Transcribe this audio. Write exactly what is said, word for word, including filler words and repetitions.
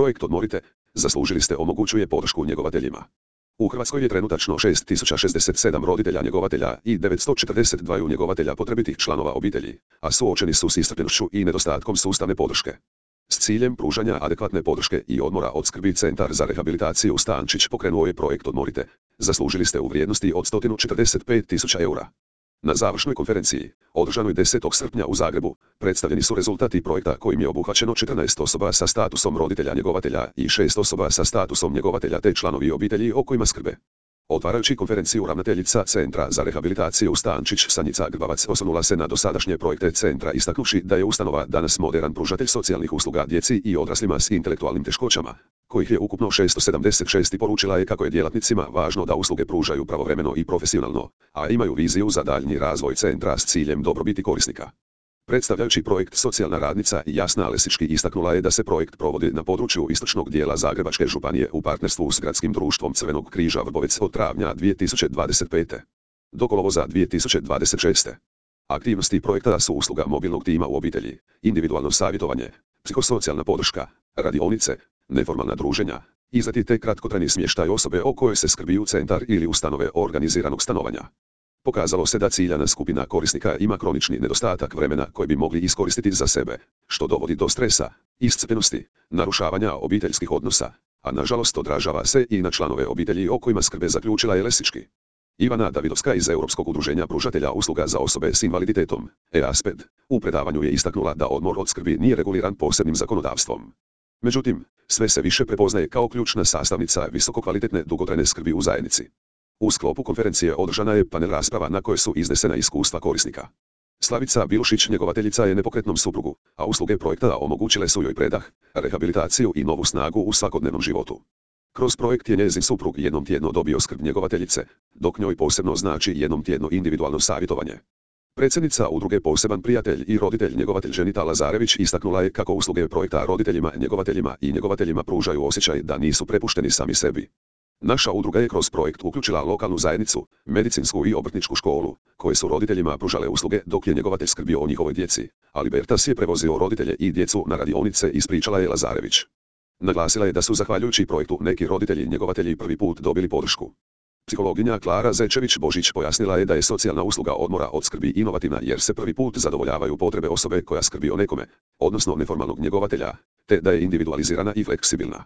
Projekt Odmorite, zaslužili ste omogućuje podršku njegovateljima. U Hrvatskoj je trenutačno šest tisuća šezdeset sedam roditelja njegovatelja i devetsto četrdeset dva njegovatelja potrebitih članova obitelji, a suočeni su s iscrpljenošću i nedostatkom sustavne podrške. S ciljem pružanja adekvatne podrške i odmora od skrbi Centar za rehabilitaciju Stančić pokrenuo je projekt Odmorite, zaslužili ste u vrijednosti od sto četrdeset pet tisuća eura. Na završnoj konferenciji, održanoj desetog srpnja u Zagrebu, predstavljeni su rezultati projekta kojim je obuhvaćeno četrnaest osoba sa statusom roditelja njegovatelja i šest osoba sa statusom njegovatelja te članovi obitelji o kojima skrbe. Otvarajući konferenciju ravnateljica Centra za rehabilitaciju Stančić Sanjica Grbavac osvrnula se na dosadašnje projekte centra istaknuvši da je ustanova danas moderan pružatelj socijalnih usluga djeci i odraslima s intelektualnim teškoćama, kojih je ukupno šesto sedamdeset šest i poručila je kako je djelatnicima važno da usluge pružaju pravovremeno i profesionalno, a imaju viziju za daljnji razvoj centra s ciljem dobrobiti korisnika. Predstavljajući projekt socijalna radnica Jasna Lesički istaknula je da se projekt provodi na području istočnog dijela Zagrebačke županije u partnerstvu s Gradskim društvom Crvenog križa Vrbovec od travnja dvije tisuće dvadeset pete. do kolovoza dvije tisuće dvadeset šeste. Aktivnosti projekta su usluga mobilnog tima u obitelji, individualno savjetovanje, psihosocijalna podrška, radionice, neformalna druženja, izleti te kratkotrajni smještaj osobe o kojoj se skrbi u centar ili ustanove organiziranog stanovanja. Pokazalo se da ciljana skupina korisnika ima kronični nedostatak vremena koji bi mogli iskoristiti za sebe, što dovodi do stresa, iscrpljenosti, narušavanja obiteljskih odnosa, a nažalost odražava se i na članove obitelji o kojima skrbe, zaključila je Lesički. Ivana Davidovska iz Europskog udruženja pružatelja usluga za osobe s invaliditetom, E A S P E D, u predavanju je istaknula da odmor od skrbi nije reguliran posebnim zakonodavstvom. Međutim, sve se više prepoznaje kao ključna sastavnica visokokvalitetne dugotrajne skrbi u zajednici. U sklopu konferencije održana je panel rasprava na kojoj su iznesena iskustva korisnika. Slavica Bilušić njegovateljica je nepokretnom suprugu, a usluge projekta omogućile su joj predah, rehabilitaciju i novu snagu u svakodnevnom životu. Kroz projekt je njezin suprug jednom tjedno dobio skrb njegovateljice, dok njoj posebno znači jednom tjedno individualno savjetovanje. Predsjednica udruge Poseban prijatelj i roditelj njegovatelj Ženita Lazarević istaknula je kako usluge projekta roditeljima, njegovateljima i njegovateljima pružaju osjećaj da nisu prepušteni sami sebi. Naša udruga je kroz projekt uključila lokalnu zajednicu, medicinsku i obrtničku školu, koje su roditeljima pružale usluge dok je njegovatelj skrbio o njihovoj djeci, a Libertas je prevozio roditelje i djecu na radionice, ispričala je Lazarević. Naglasila je da su zahvaljujući projektu neki roditelji i njegovatelji prvi put dobili podršku. Psihologinja Klara Zečević-Božić pojasnila je da je socijalna usluga odmora od skrbi inovativna jer se prvi put zadovoljavaju potrebe osobe koja skrbi o nekome, odnosno neformalnog njegovatelja, te da je individualizirana i fleksibilna.